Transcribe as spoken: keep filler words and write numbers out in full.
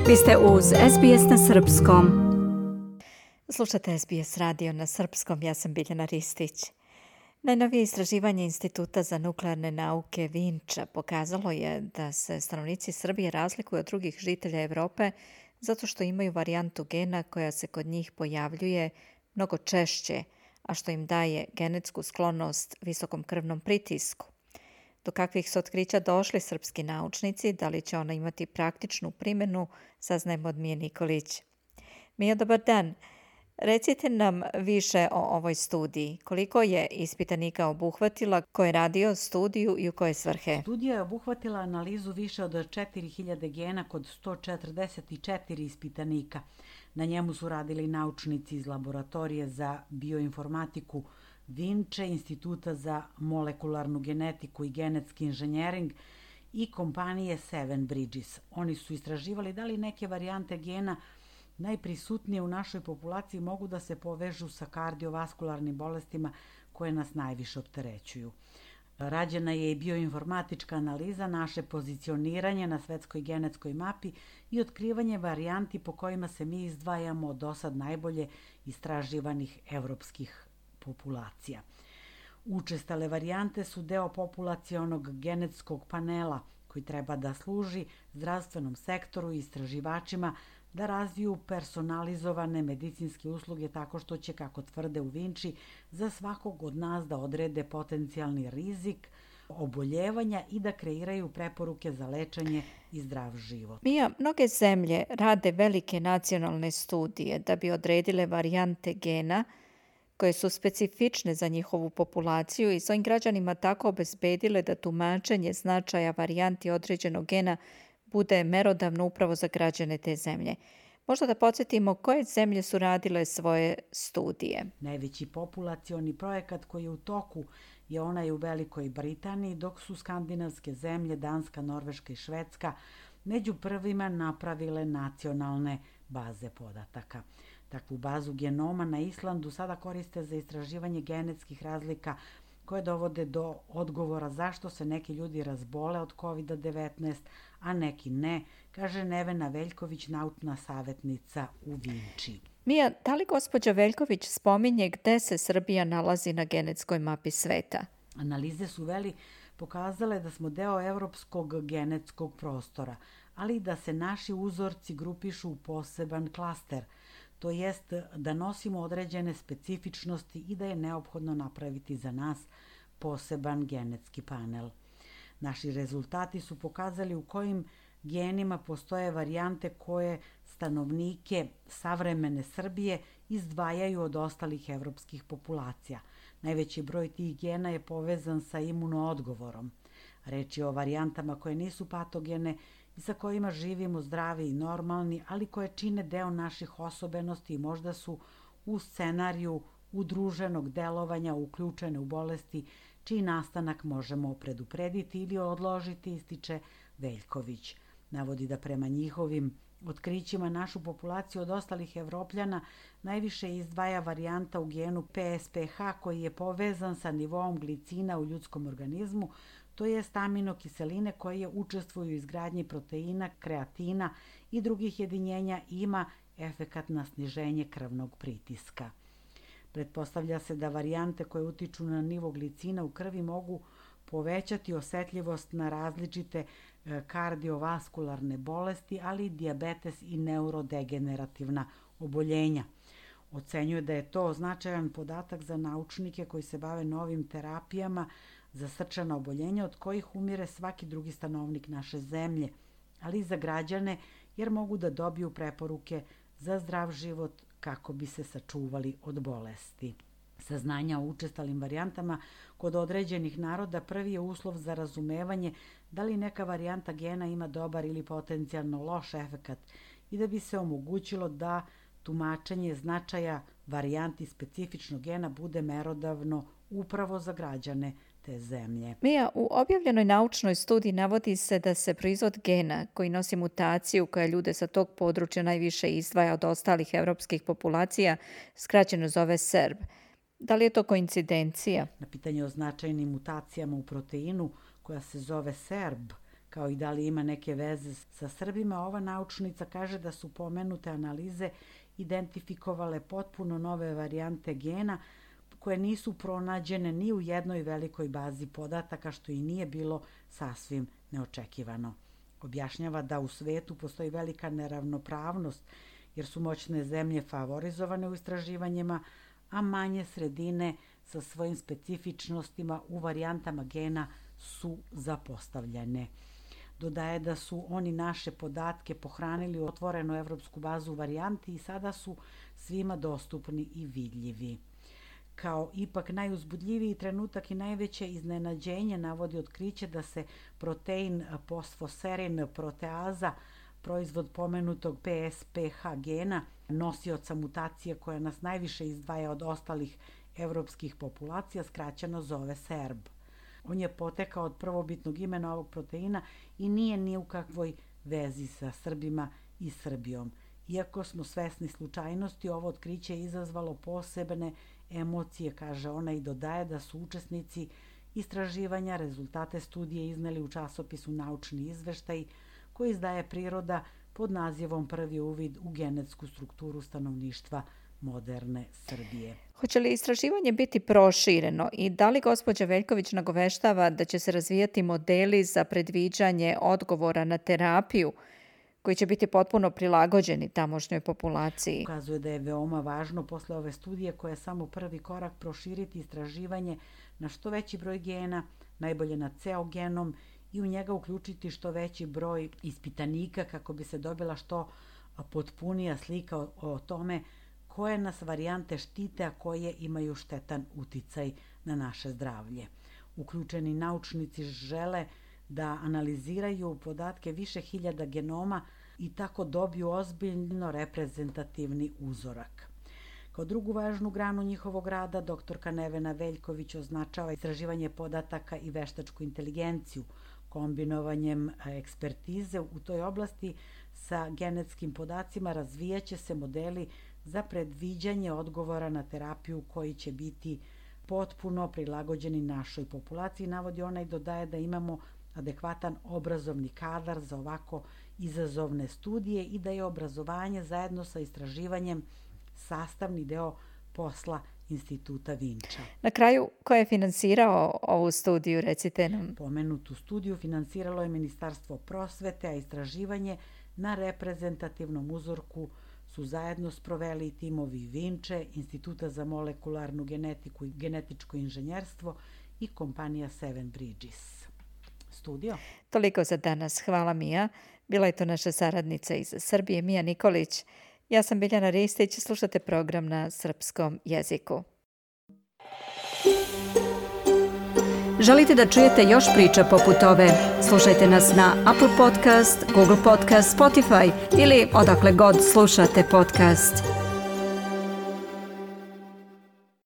Vi ste uz S B S na srpskom. Slušate S B S radio na srpskom, ja sam Biljana Ristić. Najnovije istraživanje Instituta za nuklearne nauke Vinča pokazalo je da se stanovnici Srbije razlikuju od drugih žitelja Evrope zato što imaju varijantu gena koja se kod njih pojavljuje mnogo češće, a što im daje genetsku sklonost visokom krvnom pritisku. Do kakvih su otkrića došli srpski naučnici, da li će ona imati praktičnu primjenu, saznajemo od Mije Nikolić. Mija, dobar dan. Recite nam više o ovoj studiji. Koliko je ispitanika obuhvatila, ko je radio studiju i u koje svrhe? Studija je obuhvatila analizu više od četiri hiljade gena kod sto četrdeset četiri ispitanika. Na njemu su radili naučnici iz laboratorije za bioinformatiku Vinče, Instituta za molekularnu genetiku i genetski inženjering i kompanije Seven Bridges. Oni su istraživali da li neke varijante gena najprisutnije u našoj populaciji mogu da se povežu sa kardiovaskularnim bolestima koje nas najviše opterećuju. Rađena je i bioinformatička analiza, naše pozicioniranje na svetskoj genetskoj mapi i otkrivanje varijanti po kojima se mi izdvajamo od dosad najbolje istraživanih evropskih populacija. Učestale varijante su deo populacionog genetskog panela koji treba da služi zdravstvenom sektoru i istraživačima da razviju personalizovane medicinske usluge tako što će, kako tvrde u Vinči, za svakog od nas da odrede potencijalni rizik oboljevanja i da kreiraju preporuke za lečenje i zdrav život. Mija, mnoge zemlje rade velike nacionalne studije da bi odredile varijante gena koje su specifične za njihovu populaciju i svojim građanima tako obezbedile da tumačenje značaja varijanti određenog gena bude merodavno upravo za građane te zemlje. Možda da podsjetimo koje zemlje su radile svoje studije. Najveći populacioni projekat koji je u toku je onaj u Velikoj Britaniji, dok su skandinavske zemlje, Danska, Norveška i Švedska, među prvima napravile nacionalne baze podataka. Takvu bazu genoma na Islandu sada koriste za istraživanje genetskih razlika koje dovode do odgovora zašto se neki ljudi razbole od kovid devetnaest, a neki ne, kaže Nevena Veljković, naučna savjetnica u Vinči. Mija, da li gospođa Veljković spominje gde se Srbija nalazi na genetskoj mapi sveta? Analize su veli pokazale da smo deo evropskog genetskog prostora, ali i da se naši uzorci grupišu u poseban klaster, to jest da nosimo određene specifičnosti i da je neophodno napraviti za nas poseban genetski panel. Naši rezultati su pokazali u kojim genima postoje varijante koje stanovnike savremene Srbije izdvajaju od ostalih evropskih populacija. Najveći broj tih gena je povezan sa imunoodgovorom. Reč je o varijantama koje nisu patogene i sa kojima živimo zdravi i normalni, ali koje čine deo naših osobenosti i možda su u scenariju udruženog delovanja uključene u bolesti čiji nastanak možemo preduprediti ili odložiti, ističe Veljković. Navodi da prema njihovim otkrićima našu populaciju od ostalih Evropljana najviše izdvaja varijanta u genu P S P H koji je povezan sa nivoom glicina u ljudskom organizmu, to je aminokiseline koje učestvuju u izgradnji proteina, kreatina i drugih jedinjenja i ima efekat na sniženje krvnog pritiska. Pretpostavlja se da varijante koje utiču na nivo glicina u krvi mogu povećati osetljivost na različite kardiovaskularne bolesti, ali i dijabetes i neurodegenerativna oboljenja. Ocenjuje da je to značajan podatak za naučnike koji se bave novim terapijama za srčana oboljenja od kojih umire svaki drugi stanovnik naše zemlje, ali i za građane jer mogu da dobiju preporuke za zdrav život kako bi se sačuvali od bolesti. Saznanja o učestalim varijantama kod određenih naroda prvi je uslov za razumevanje da li neka varijanta gena ima dobar ili potencijalno loš efekat i da bi se omogućilo da tumačenje značaja varijanti specifičnog gena bude merodavno upravo za građane te zemlje. Mija, u objavljenoj naučnoj studiji navodi se da se proizvod gena koji nosi mutaciju koja ljude sa tog područja najviše izdvaja od ostalih evropskih populacija skraćeno zove S E R B. Da li je to koincidencija? Na pitanje o značajnim mutacijama u proteinu koja se zove S E R B, kao i da li ima neke veze sa Srbima, ova naučnica kaže da su pomenute analize identifikovale potpuno nove varijante gena koje nisu pronađene ni u jednoj velikoj bazi podataka, što i nije bilo sasvim neočekivano. Objašnjava da u svetu postoji velika neravnopravnost jer su moćne zemlje favorizovane u istraživanjima, a manje sredine sa svojim specifičnostima u varijantama gena su zapostavljene. Dodaje da su oni naše podatke pohranili u otvorenu evropsku bazu varijanti i sada su svima dostupni i vidljivi. Kao ipak najuzbudljiviji trenutak i najveće iznenađenje navodi otkriće da se protein fosfoserin proteaza, proizvod pomenutog P S P H gena, nosioca mutacije koja nas najviše izdvaja od ostalih evropskih populacija, skraćeno zove S E R B. On je potekao od prvobitnog imena ovog proteina i nije ni u kakvoj vezi sa Srbima i Srbijom. Iako smo svesni slučajnosti, ovo otkriće je izazvalo posebne emocije, kaže ona, i dodaje da su učesnici istraživanja rezultate studije izneli u časopisu Naučni izveštaj koji izdaje Priroda pod nazivom Prvi uvid u genetsku strukturu stanovništva moderne Srbije. Hoće li istraživanje biti prošireno i da li gospođa Veljković nagoveštava da će se razvijati modeli za predviđanje odgovora na terapiju koji će biti potpuno prilagođeni tamošnjoj populaciji? Ukazuje da je veoma važno posle ove studije, koja je samo prvi korak, proširiti istraživanje na što veći broj gena, najbolje na ceo genom, i u njega uključiti što veći broj ispitanika kako bi se dobila što potpunija slika o, o tome koje nas varijante štite, a koje imaju štetan uticaj na naše zdravlje. Uključeni naučnici žele da analiziraju podatke više hiljada genoma i tako dobiju ozbiljno reprezentativni uzorak. Kao drugu važnu granu njihovog rada, doktorka Nevena Veljković označava istraživanje podataka i veštačku inteligenciju. Kombinovanjem ekspertize u toj oblasti sa genetskim podacima razvijaće se modeli za predviđanje odgovora na terapiju koji će biti potpuno prilagođeni našoj populaciji. Navodi ona i dodaje da imamo adekvatan obrazovni kadar za ovako izazovne studije i da je obrazovanje zajedno sa istraživanjem sastavni deo posla Instituta Vinča. Na kraju, ko je finansirao ovu studiju, recite nam? Pomenutu studiju finansiralo je Ministarstvo prosvete, a istraživanje na reprezentativnom uzorku su zajedno sproveli timovi Vinče, Instituta za molekularnu genetiku i genetičko inženjerstvo i kompanija Seven Bridges. Studio. Toliko za danas. Hvala, Mija. Bila je to naša saradnica iz Srbije, Mija Nikolić. Ja sam Biljana Ristić, slušate program na srpskom jeziku. Želite da čujete još priča poput ove? Slušajte nas na Apple Podcast, Google Podcast, Spotify ili odakle god slušate podcast.